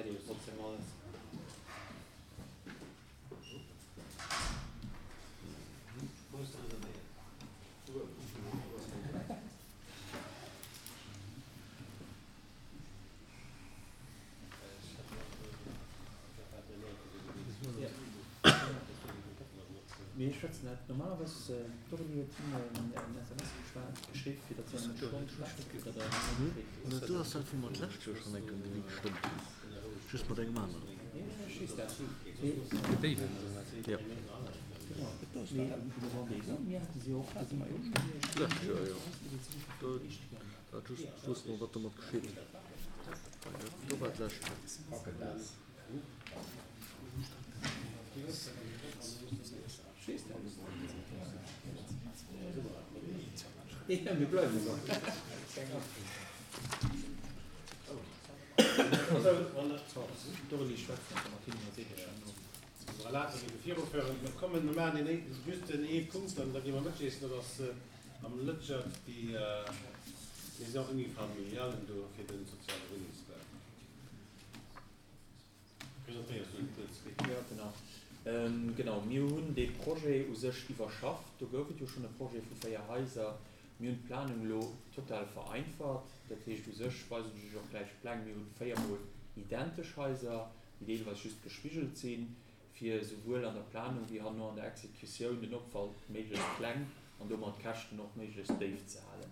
erkläert Iech trotzdem alles. Mee ech schwätzen dat normalerweis, d'Aurélie huet him en SMS geschwat, geschriww, fir datt si an eng Stonn schwätzt, fir datt er net Bescheed weess. Do ass dat, wou mer d'lescht Joer schonn eng Kéier devis gestëmmt hunn, just mat engem aneren. Jo. D'lescht Joer, jo. Do hat just wosst mer, wat domat geschitt. Do war d'lescht Joer. Jo, genau. Genau, mir hunn dee Projet u sech iwwerschafft. Do gouf et jo schonn e Projet vu 4 Haiser. Mir hunn d'Planung elo total vereinfacht. Dat heescht u sech, weisen ech Iech och gläich d'Pläng, mir hunn véiermol identesch Haiser, déi deelweis just gespigelt sinn, fir esouwuel an der Planung wéi herno an der Exekutioun den Opwand méiglechst kleng an domat d'Käschten och méiglechst déif ze halen.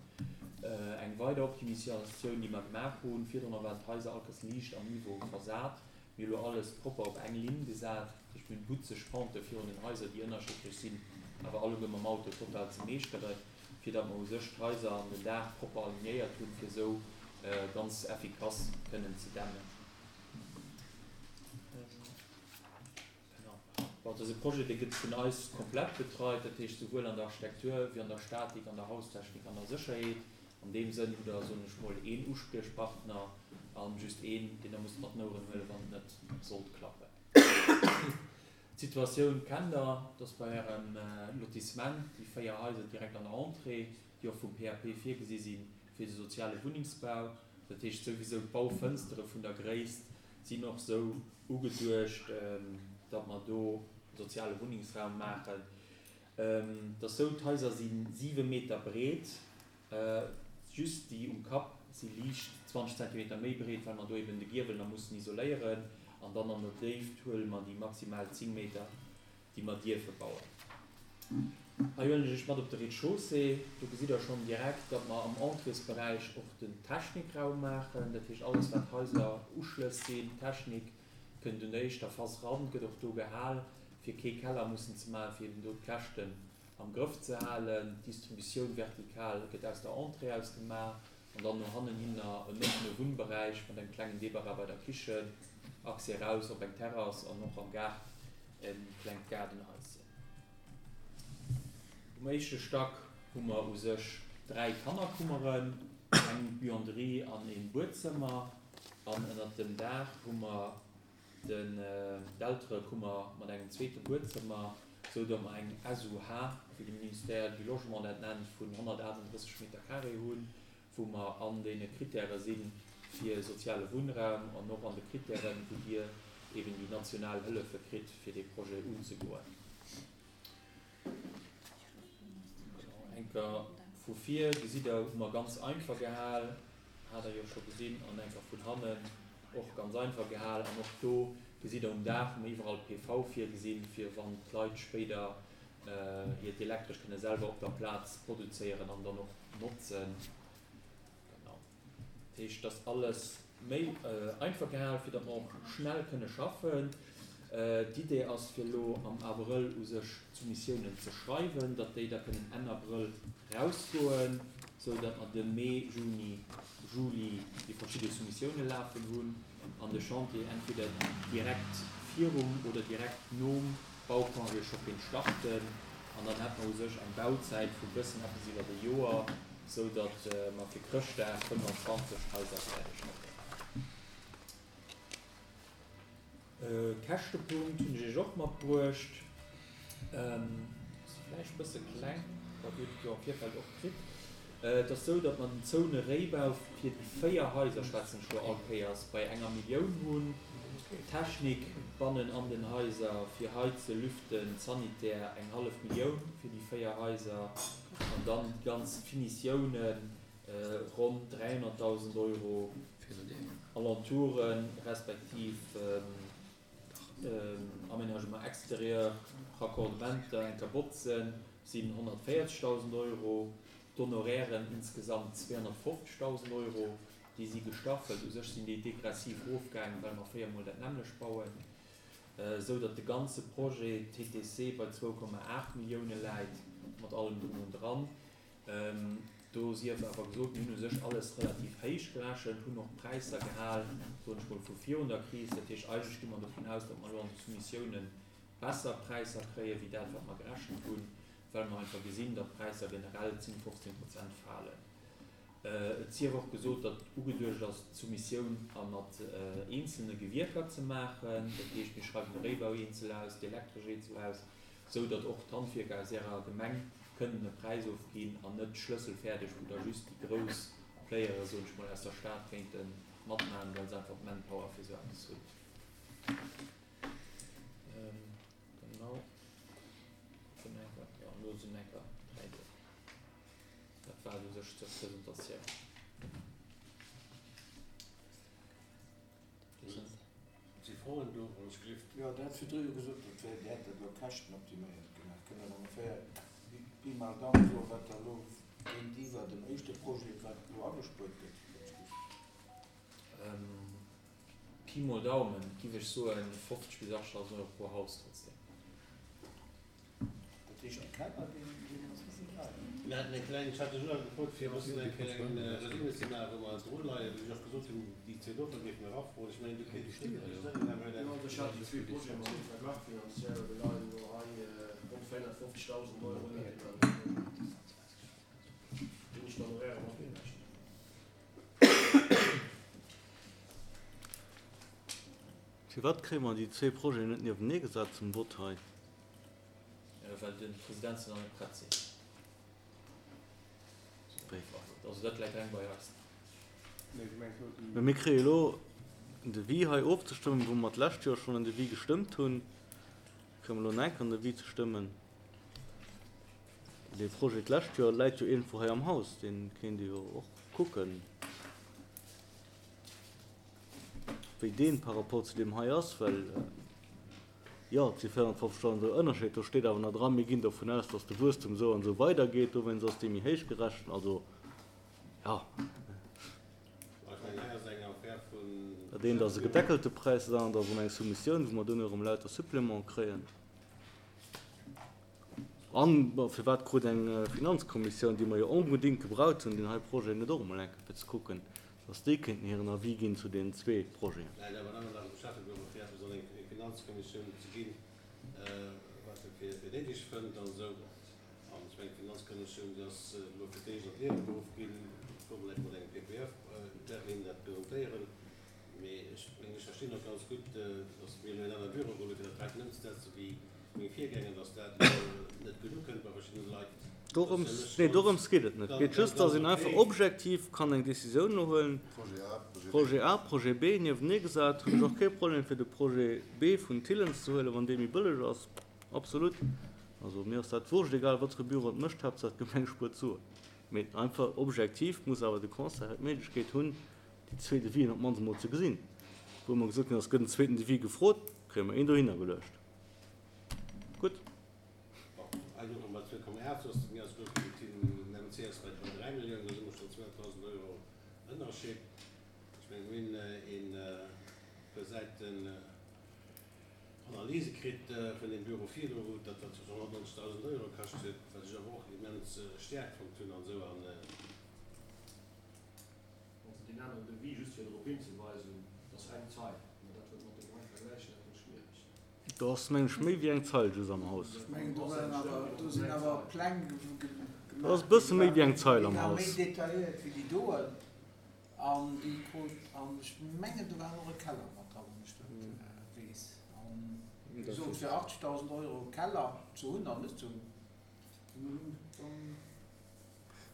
Eng weider Optimisatioun, déi mer gemaach hunn, virdrunner waren d'Haiser all Kéiers liicht am Niveau versat, mir hu lo alles propper op eng Linn gesat, dat heescht mir hunn butzeg Pente virun den Haiser, déi ënnerschiddlech sinn, awer alleguer mam Auto total ze meeschteren, fir datt mer u sech d'Haiser an den Daach propper alignéiert hunn, fir esou ganz effikass kënnen ze dämmen. Bon, dëse Projet, dee gëtt vun eis komplett betreit, dat heescht souwuel an der Architektur wéi an der Statik, an der Haustechnik an der Sécherheet. An deem Sënn hutt Der, soen ech mol, een Uspriechpartner a just een, deen Der musst mat den Oueren huelen, wann et net sollt klappen. D'Situatioun kennt Der, dass bei Ärem Lotissement déi 4 Haiser direkt an der Entrée, déi och vum PAP virgesi sinn fir de soziale Wunnengsbau, dat heescht souwisou d'Baufënstere vun der Gréisst sinn och sou ugeduecht, datt mer do soziale Wunnengsraum maachen. Et ass sou, d'Haiser si 7 Meter breet, just déi um Kapp si liicht 20 Zentimeter méi breet, well mer do eben de Giewel nach mussen isoléieren. An dann an der Déift huele mer déi maximal 10 Meter déi mer dierfe bauen. Hei huelen ech Iech mat op de Rez-de-chaussée. Do gesitt Der schonn direkt, datt mer am Entréesberäich och den Technikraum maachen. Dat heescht, alles wat Haiser Uschlëss sinn, Technik, kënnt un der éischter Phas ran, gëtt och do gehal, fir kee Keller mussen ze maachen, fir eben do d'Käschten am Grëff ze halen. D'Distributioun vertikal gëtt aus der Entrée aus gemaach an dann no hannen hinner en oppene Wunnberäich mat engem klengen Débarras bei der Kichen, Accès eraus op eng Terrass an och am Gaart e klengt Gaardenhaischen. Um éischte Stack hu mer u sech 3 Kannerkummeren, eng Buanderie an e Buedzëmmer an ënnert dem Daach hu mer Den d'Elterekummer mat engem zweete Buedzëmmer, sou datt mer eng SUH, wéi de Ministère du Logement dat nennt, vun 138 Meter carré hunn, wou mer an deene Kritäre si fir soziale Wunnraum an och an de Kritären, wou Dir eben déi national Hëllefe kritt, fir dee Projet unzegoen. Enker vu vir gesitt der, hu mer ganz einfach gehal, hat der jo scho gesinn, an enker vun hannen och ganz einfach gehal. An och do gesitt der, um Daach hu mer iwwerall PV virgesinn, fir wann d'Leit spéider hiert Elektresch kënne selwer op der Plaz produzéieren an dann och notzen. Genau. Dat heescht, dass alles méi einfach gehal, fir datt mer och schnell kënne schaffen. D'Idee ass, fir elo am Abrëll u sech d'Soumissiounen ze schreiwen, datt déi da kënnen Enn Abrëll rausgoen, sou datt mer de Mee, Juni, Juli déi verschidde Soumissioune lafen hunn an de Chantier entweder direkt virum oder direkt nom Baucongé scho kéint starten. An dann hätt mer u sech eng Bauzäit vu bëssen eppes iwwert e Joer, sou datt mer fir Chrëschtdag 25 Haiser fäerdeg hätten. E Käschtepunkt hunn ech Iech och matbruecht. Ass vläicht e bësse kleng, ma Dir hutt et jo am Virfeld och kritt. Et ass sou, datt mer den zoune Réibau fir déi 4 Haiser, schwätzen ech elo all Kéiers, bei enger Millioun hunn. D'Technik bannen an den Haiser fir Heizen, Lüften, Sanitär, eng hallef Millioun fir déi 4 Haiser an dann déi ganz Finitiounen, ronn 300.000 Euro, Alentouren respektiv Aménagement extérieur, Raccordementer, eng Kabotzen sinn 140.000 Euro, d'Honorairen insgesamt 250.000 Euro. Déi si gestaffelt. U sech sinn déi degressiv erofgaangen, well mer véiermol dat nämmlecht bauen, esou datt de ganze Projet TTC bei 2,8 Millioune läit, mat allem drum und dran. Do sief awer gesot, mir hunn u sech alles relativ héich gerechent, hunn och d'Präisser gehal, soen ech mol, vu virun der Kris. Dat heescht, eigentlech gi mer dovun aus, datt mer elo an de Soumissiounen besser Präisser kréien, wéi dat, wat mer gerechent hunn, well mer einfach gesinn, datt d'Präisser generell 10, 15 Prozent falen. Et sief och gesot, datt ugeduecht ass, d'Soumissioun a mat eenzelne Gewierker ze maachen. Dat heescht, mir schreiwen de Réibau eenzel aus, d'Elektresch eenzel aus, esou datt och d'Handwierker aus Ärer Gemeng kënnen e Präis ofginn an net schlësselfäerdeg, wou da just déi grouss Playere, soen ech mol, aus der Stad kéinte matmaachen, well se einfach d'Manpower fir esou eppes hunn. Genau. Jo, elo sinn enker 3 do. Dat war et u sech zur Presentatioun. Si Froen do, wann ech gelift? Jo, Der hat virdru jo gesot, dat wär, Dir hätt dat elo käschtenoptiméiert gemaach. Kënnt Der ongeféier Pi mal Dam soen, wat Der elo géintiwwer dem éischte Projet, wat elo agespuert gëtt, wann ech gelift? Pi mol Daumen giff ech soen 50 bis 80.000 Euro pro Haus trotzdem. Dat heescht de Keller deen deen ass wéi deier? Mir haten eng kleng, ech hat lech elo gefrot fir e bëssen eng kleng Résumé ze maachen, wou mer dru leien, wou ech och gesot hunn, déi zwee Doffer géife mer erafroen. Ech mengen, do kéint ech net ënnerstëtzen, Här Jo, also ech hat déi zwee Projete mat engem Verglach finanziell, mir leien elo hei ronn 450.000 Euro ënnert deem anere Projet, deen ech dann och Äre mat virrechnen. Firwat kréie mer déi zwee Projeten net niewenee gesat zum Vott hei? Well de Presidenzen nach net prett sinn. Also dat läit reng bei eis. Mä mir kréie elo en Devis hei ofzestëmmen, wou mer d'lescht Joer schonn en Devis gestëmmt hunn. Kréie mer elo nach eng Kéier en Devis ze stëmmen. Dee Projet d'lescht Joer läit jo iergendwou hei am Haus, dee kéint ee jo och kucken, wéi dee par rapport zu deem hei ass, well jo, et si 450.000 Euro Ënnerscheed. Do steet awer nach dran, mir ginn dovun aus, datt de Wuesstum esou an esou weidergeet, dowéinst ass dee méi héich gerechent. Also, jo. Dat eent ass e gedeckelte Präis, dat anert ass erëm eng Soumissioun, wou mer duerno erëm lauter Suppléments kréien. An firwat krut eng Finanzkommissioun, déi mer jo onbedéngt gebraucht hunn, deen hei Projet net och emol eng Kéier fir ze kucken, dass déi kéinten hiren Avis ginn zu deenen zwee Projeten? Mä et awer ëmmer nach um Schäffebüro, fir eppes an eng Finanzkommissioun ze ginn, wat e fir néideg fënnt an esou. An ech mengen, d'Finanzkommissioun, déi ass elo fir d'éischt an d'Liewe geruff ginn, kucke mer eng Kéier mat engem PPF, wäerte hinnen dat presentéieren. Mee ech mengen, ech verstinn och ganz gutt, dass mir elo en anere Büro geholl hunn, fir dat heiten ëmzesetzen, wéi meng Virgänger, dass dat elo net gutt ukënnt bei verschiddene Leit. Dorëms, nee, dorëms geet et net. Et geet just, dass een einfach objektiv kann eng Décisioun elo huelen, Projet A, Projet B niewenee gesat. Hunn ech och kee Problem, fir de Projet B vun Thillens ze huelen, wann dee méi bëlleg ass. Absolut. Also mir ass dat wurscht, egal wat fir e Büro et mécht, Haaptsaach d'Gemeng spuert Suen. Mee einfach objektiv muss awer de Conseil hei d'Méiglechkeet hunn, déi zwee Devisen op d'mannst emol ze gesinn. Wou mer gesot hunn, es gëtt en zweeten Devis gefrot, kréie mer een dohinner geluecht. Gutt. Bon, hei louche mer bei 2,8, soss mir ass elo den MC ass bei 3 Milliounen, do si mer schonn 200.000 Euro Ënnerscheed. Ech mengen, mir hunn e puer Säiten Analyse kritt vun deem Büro virdru, wou dat wat 190.000 Euro kascht huet, wat ech awer och immens staark fonnt hunn an esou. An Also deen aneren Devis, just fir drop hinzeweisen, dat ass eng Zeil, mä dat wëllt mat deem hei vergläichen, dat gëtt schwiereg. Do ass, meng ech, méi wéi eng Zeil just am Haus. Ech mengen, do waren awer, do sinn awer Pläng gemaach Do ass e bësse méi wéi eng Zeil am ginn, déi waren Haus. méi detailléiert wéi déi doen. An déi krut, an ech mengen, do war och e Keller mat dran, wann ech dat weess. An wéi gesot, fir 80.000 Euro e Keller ze hunn an net ze hunn, dann.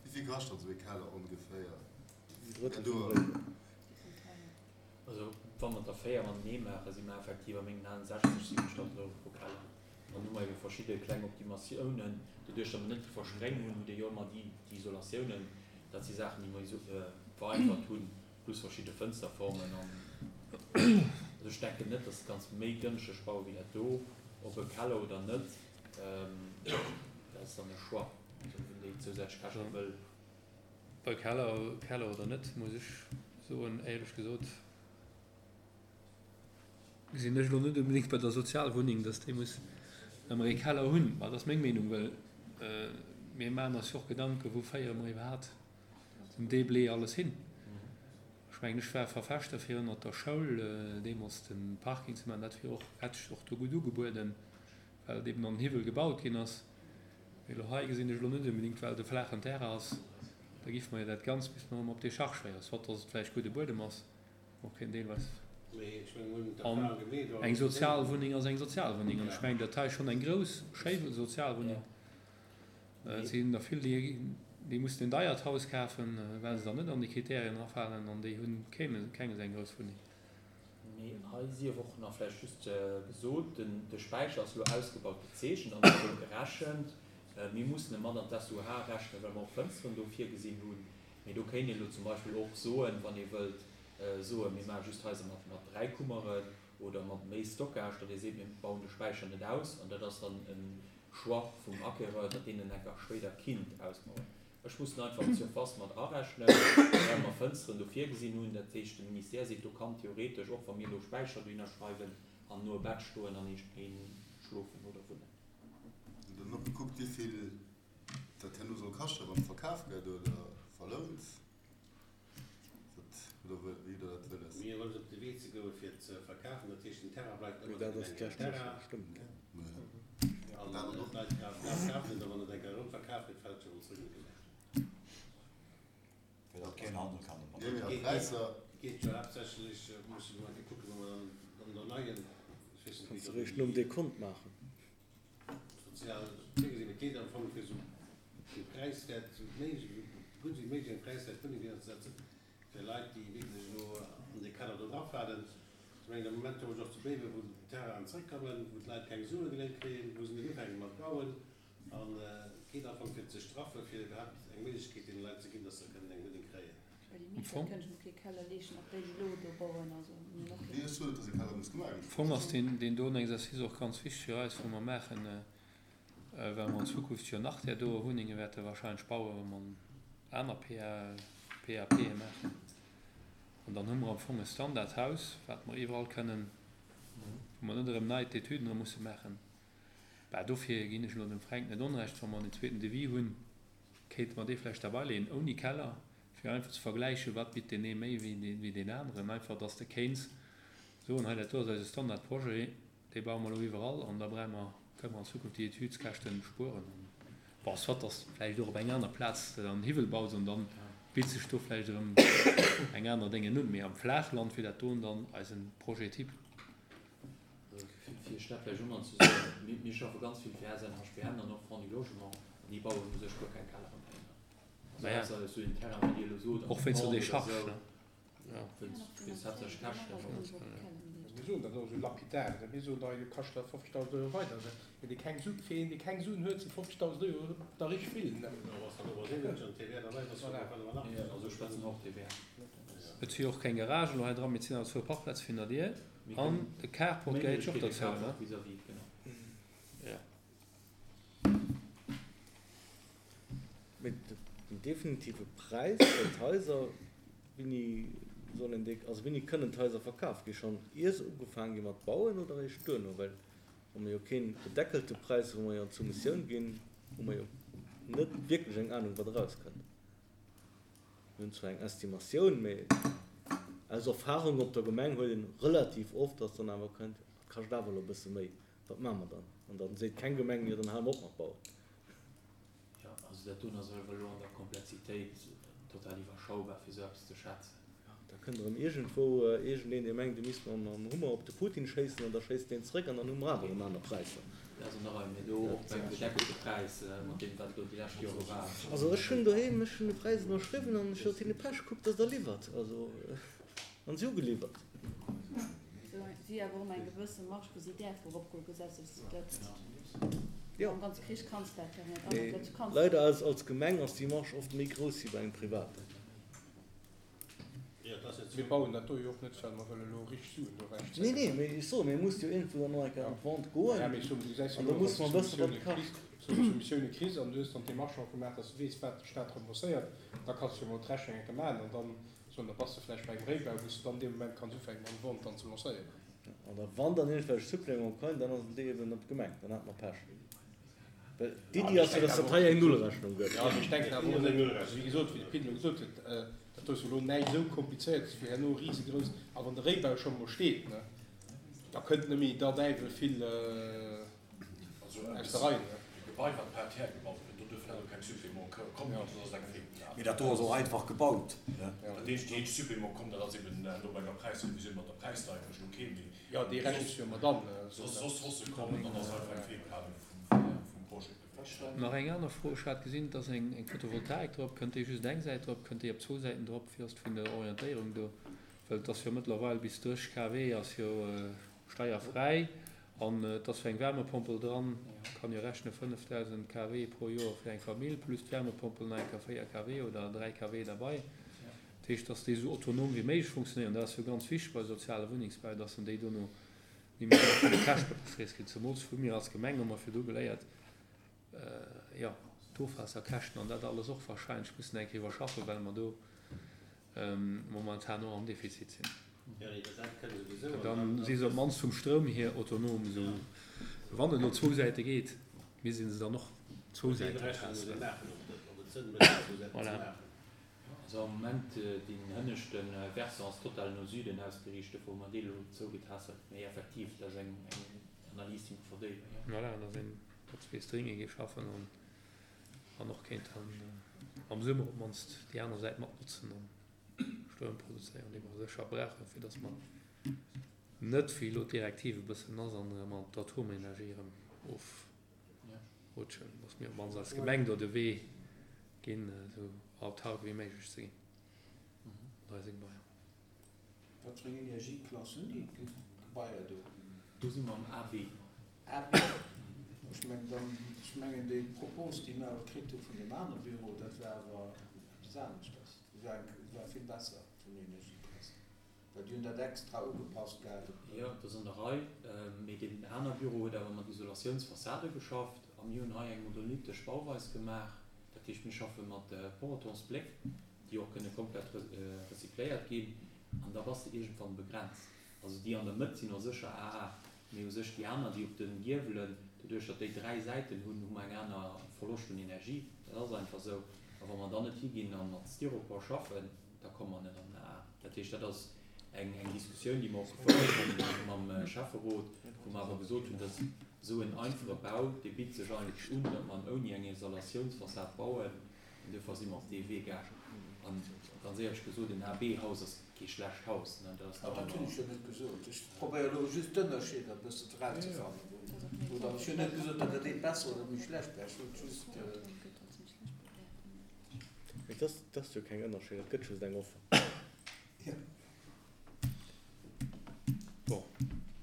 Wéi vill kascht dann esou ee Keller ongeféier? En Drëttel vum Réibau. Also. Wa mer der 4 matenee maachen, si mer effektiv a mengen Aen 60, 70.000 Euro pro Keller. An dann hu mer ebe verschidde kleng Optimatiounen. Doduerch, datt mer net déi Verspréng hunn, hutt Dir jo ëmmer déi Isolatiounen. Dat si Saachen, déi mer vereinfacht hunn, plus verschidde Fënsterformen. An also ech denken net, datt et ganz méi gënschteg baue wéi dat do, ob e Keller oder net, dat ass dann e Choix, also wien déi zousätzlech Käschte wëll. Bei Keller, Keller oder net, muss ech soen, éierlech gesot gesinn ech elo net onbedéngt bei der Sozialwunneng, datt déi muss ëmmer ee Keller hunn. Mä dat ass meng Meenung, well mir maachen eis jo och Gedanken, wou féiere mer iwwerhaapt den Deblé alles hin. Ech mengen, ech war Verfechter fir ënnert der Schoul deemools de Parking ze maachen. Dat wier och, hätt sech och do gutt ugebueden, well et eben an den Hiwwel gebaut ginn ass. Mee elo hei gesinn ech elo net onbedéngt, well et e flaachen Terrain ass, da giffe mer jo dat Ganzt misste mer erëm op Décharge féieren, soit dass et vläicht gudde Buedem ass, och keen deelweis. An eng Sozialwunneng ass eng Sozialwunneng an ech mengen, dat hei ass schonn eng grouss, schéi Sozialwunneng. Et sinn der vill, déi, déi mussen en deiert Haus kafen, well se dann net an déi Kriterien erafalen an déi hu keng esou eng grouss Wunneng. Mee hei sief och nach vläicht just gesot, de Späicher ass elo ausgebaut gezeechent an esou gerechent. Mir mussen e mat an d'SUH rechnen, well mer och Fënsteren do virgesinn hunn. Mee do kéint een elo zum Beispill och soen, wann ee wëllt soen, mir maache just Haiser mat 3 Kummeren oder mat méi Stockage, datt ee seet, mir bauen de Späicher net aus. An dat ass dann e Choix vum Acquéreur, datt deen en enker spéider kinnt ausbauen. Ech muss en einfach d'Surface mat arechnen, well mer Fënsteren do virgesinn hunn. Dat heescht, de Ministère seet, do kann theoretesch, och wa mir elo Späicher dohinner schreiwen, an no e Bett stoen an ee schlofen oder wunnen. Hutt Der dann och gekuckt, wéi vill dat herno soll kaschten, wann et verkaf gëtt oder verlount? Wat, oder wéi hutt Der dat wëlles? Mir wëllen op de Wee ze goen, fir et ze verkafen. Dat heescht, den Terrain bleift ëmmer de Gemengenterrain. An d'Leit kafen et, a wann et eng Kéier erëm verkaf gëtt, fält et jo erëm zrëck un d'Gemeng. Fir datt keen Handel kann domat maachen. Et geet jo haaptsächlech, musse mer eng Kéier kucken, wa mer dann an der neien, ech weess net, wéi Kanns de réischt nom Dekont maachen. Sozial virgesinn. Et geet am Fong fir esou vill präiswäert esou méiglech, esou gutt wéi méiglech eng präiswäert Wunneng hinzesetzen fir Leit, déi wierklech elo an dee Keller do drafalen. Ech mengen, am Moment hu ech och zu Béiwen, wou d'Terrainen zrëckkommen, wou d'Leit keng Sue geléint kréien, wou se net ufänke mat bauen. An et geet am Fong fir ze straffen, fir iwwerhaapt eng Méiglechkeet deene Leit ze ginn, dass se kënnen eng Wunneng kréien. Am Fong ass deen doen Exercice och ganz wichteg fir eis, wou mer maachen, well mer an Zukunft jo nach där doe Wunnenge wäerte wahrscheinlech bauen, wa mer aner PAPe maachen. An dann hu mer am Fong e Standardhaus, wat mer iwwerall kënnen, wou mer net erëm nei d'Etüden dra musse maachen. Bah, dofir ginn ech elo dem Fränk net Onrecht, wa mer en zweeten Devis hunn, kéinte mer dee vläicht derbeileeën, ouni Keller, fir einfach ze vergläichen, wat bitt deen ee méi wéi deen aneren. Einfach, dass de kéints soen, hei dat do ass eise Standardprojet, dee baue mer elo iwwerall an da brauche mer, kënne mer an Zukunft déi Etüdskäschten spueren. Bon, soit dass de vläicht och op eng aner Plaz dann Hiwwel baus an dann bitt sech do vläicht erëm eng aner Déngen un. Mee am Flaachland wier dat doen dann eisen Projet type. Fir Iech dat vläicht och nach ze soen, Mir schaffe ganz vill fir SNHBM an och Fonds du Logement an déi bauen u sech guer keng Kellere méi. Also ausser esou en Terrain, wéi Dir elo sot, Och wéinst der Decharge, ne? Wéinst haaptsächlech Käschten. Mir soen dat och esou lapidar, mir soen da, jo kascht dat 50.000 Euro weider. Mee dee keng Suen, fir een, dee keng Suen huet, si 50.000 Euro da richteg vill. Also ech schwätzen och TVA. Et si och keng Garagen elo hei dran, mee et sinn awer zwou Parkplaze fir no dir. An de Carport gehéiert jo och dozou, ne? Jo. Mee den definitive Präis fir d'Haiser, wéini sollen déi, also wéini kënnen d'Haiser verkaf gi? Schonn ier se ugefaange gi mat bauen oder eréischt duerno? Well wa mer jo keen gedeckelte Präis, wou mer jo an d'Soumissioun ginn, hu mer jo net wierklech eng Anung, wat erauskënnt. Mir hunn zwar eng Estimatioun, mee aus Erfahrung op der Gemeng huet een relativ oft, dass dann awer kënnt, dat kascht awer elo e bësse méi, wat maache mer dann? An dann seet keng Gemeng, jo dann hale mer op mat bauen. Jo, also dat doen ass awer elo an der Komplexitéit total iwwerschaubar, fir esou eppes ze schätzen. Jo, da kënnt erëm iergendwou iergendeen, dee mengt, e misst mam Hummer op de Putin schéissen, an da schéisst deen zréck an dann hu mer awer erëm aner Präisser. Dat ass nach eng, mee do och beim gedeckelte Präis, mat deem wat elo déi lescht Jore war. Also ech hunn doheem, ech hunn de Präis ënnerschriwwen an ech sot hinne, Pech, kuckt, datt Der liwwert. Also, an si hu geliwwert. si awer och ëmmer eng gewësse Marge, wou si däerfe eropgoen gesetzlech. Dat, am ganze Krich kanns de dat jo net. An dat kanns de. Leider ass als Gemeng ass déi Marge oft méi grouss wéi bei engem Privaten. Mir bauen dat do jo och net, well mer wëlle elo richteg Suen do ewechzéien. Nee, nee, mee ech soen, mir musse jo iergendwou dann och eng Kéier an d'Vente goen. Ja, mee ech soen, du gesäis jo An da elo, musse mer wëssen, wat et kascht. Soumissioune kriss an du hues dann d'Demarche och gemaach, dass du weess, wat de Staat rembourséiert, da kanns du jo mol d'Rechnung eng Kéier maachen an dann soen, da bass de vläicht bei engem Réibau, wou s du dann dee Moment kanns ufänken, eng Vente dann ze lancéieren. An da wann dann iergendwelch Supplémenten kommen, dann ass et eben op d'Gemeng, dann hat mer Pech. Well d'Iddi ass jo, dass dat hei eng Nullrechnung gëtt. Jo, mee ech denken awer och net, also wéi gesot, wéi de Pit elo gesot huet, dat do ass jo elo näischt esou Komplizéiertes, wou herno risegrouss, a wann de Réibau scho mol steet, ne, da kënnt net méi der Däiwel vill aus der Rei, ne. E Gebai, wat par terre gebaut gëtt, do duerfen awer keng Supplémenten kommen, well soss ass et eng Feelplanung. Mee dat do ass och einfach gebaut, ne? Dat eenzegt, déi eenzeg Supplément komm, dat ass eben no bei enger Präisrevisioun mat der Präisdeierecht, okay, mee. Jo, déi rechnes du jo mat an. Soss soss se kommen, dann ass einfach eng Feelplanung vum Projet gewiescht. Nach eng aner Fro, Ech hat gesinn, et ass eng Photovoltaik drop. Kënnt déi just eng Säit drop? Kënnt déi op zwou Säiten drop? Wéi ass et vun der Orientéierung do? Well et ass jo mëttlerweil bis 30 kW ass jo steierfräi an et ass jo eng Wärmepompel dran. Kann jo rechnen, 5.000 kW pro Joer fir eng Famill plus d'Wärmepompel nach eng Kéier 4 kW oder 3 kW derbei. Dat heescht, dass déi esou autonom wéi méiglech funktionéieren. Dat ass jo ganz wichteg bei soziale Wunnengsbau, dass en déi dono ni méi vun de Käschte gefriess ginn. Zemools hu mir als Gemeng hu mer virdu geléiert, jo, d'Ofwaasserkäschten an dat alles och wahrscheinlech mussen eng Kéier iwwerschaffen, well mer do momentan och am Defizit sinn. Dann si se op d'mannst vum Stroum hier autonom, esou wann et elo zwou Säite geet, misst ee se dann och zwou Säiten testen. Voilà. Also am Moment, deen hënneschte Versant ass total no Süden ausgeriicht, dofir hu mer dee lo zougetässelt. Mee effektiv, dat ass eng Analys, déi mer verdéiwen, jo. Voilà, dass een mat zwee Stringe géif schaffen an och kéint dann am Summer op d'mannst déi aner Säit mat notzen an Stroum produzéieren, dee mer sécher brauchen, fir dass mer net, wéi elo d'Direktiv e bëssen ass, an erëm an d'Atomenergie erëm ofrutschen, dass mir op d'mannst als Gemeng do de Wee ginn, esou autark wéi méiglech ze ginn mat eise Gebaier. Wat fir eng Energieklass hunn déi Gebaier do? Do si mer am AB. AB? Ech mengen dann, ech mengen déi Propos, déi mir awer kritt hu vun deem anere Büro, dat war awer eppes aneschters. Déi war, war vill besser vun der Energieklass. Well déi hunn dat extra ugepasst gehat op. Jo, dat ass an der Rei. Mee deen aner Büro huet awer mat Isolatiounsfassade geschafft a mir hunn hei eng monolithtesch Bauweis gemaach. Dat heescht, mir schaffe mat Porotonsbléck, déi och kënne komplett recycléiert ginn. An da bass de iergendwann begrenzt. Also déi an der Mëtt sinn och sécher AA, mee u sech déi aner, déi op de Giewelen, doduerch datt déi 3 Säiten hunn, hu mer eng aner Verloscht un Energie. Dat ass einfach esou. A wa mer dann net higinn a mat Styropor schaffen, da komme mer net an den AA. Dat heescht, dat ass eng Diskussioun, déi mer och gefouert hunn mam Schäfferot, wou mer awer gesot hunn, dass esou en einfache Bau, dee bitt sech eigentlech un, datt mer en ouni eng Isolatiounsfassad bauen. An duerfir si mer op dee Wee gaangen. An ganz éierlech gesot, en AB-Haus ass kee schlecht Haus. Dat ass nach ëmmer. Dat hunn ech jo net gesot. Ech probéiere elo just d'Ënnerscheeder e bëssen erauszefannen. Oder ech hunn net gesot, datt dat eent besser oder méi schlecht wär. Ech wollt just. Mee dat ass jo keng Ënnerscheed, dat gëtt just eng Offer. Bon,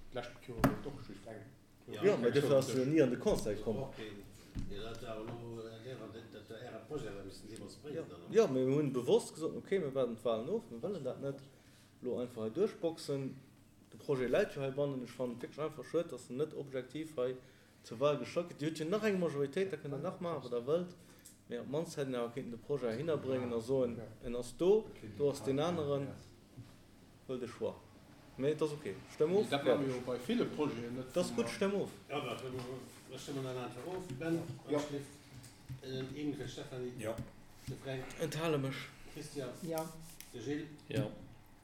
d'lescht Joer gouf et och just eng. Jo, mä dofir ass se jo ni an de Conseil komm. Jo, mä mir hunn bewosst gesot, okay, mir waarden d'Wahlen of, mir wëllen dat net elo einfach hei duerchboxen. De Projet läit jo heibannen. Ech fannen et wierklech einfach schued, datt en net objektiv hei Zur Wahl gestallt gëtt. Dir hutt jo nach eng Majoritéit, da kënnt Der nach maachen, wat Der wëllt, mee op d'mannst hätt een awer kéinten de Projet heihinner bréngen a soen, en ass do, do ass deen aneren, huel de Choix. Mee et ass ok, stëmm of, Dat maache mir jo bei ville Projeten net. Et ass gutt, stëmm of. Jo, da stëmme mer dann einfach of. Ben, Wanschlift, den Emil fir d'Stéphanie, de Fränk. Enthale mech. Christian. Jo. De Gilles. Jo.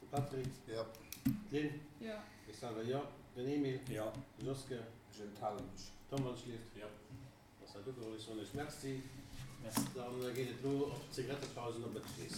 De Patrick. Jo. D'Lynn. Jo. Ech selwer jo. Den Emil. Jo. De Joske. Ech enthale mech. Tom, wann ech lieft. Jo. Ass dat ugeholl? Ech soen iech Merci. Dann geet et elo op d'Zigarettepaus an op Bëtschlees.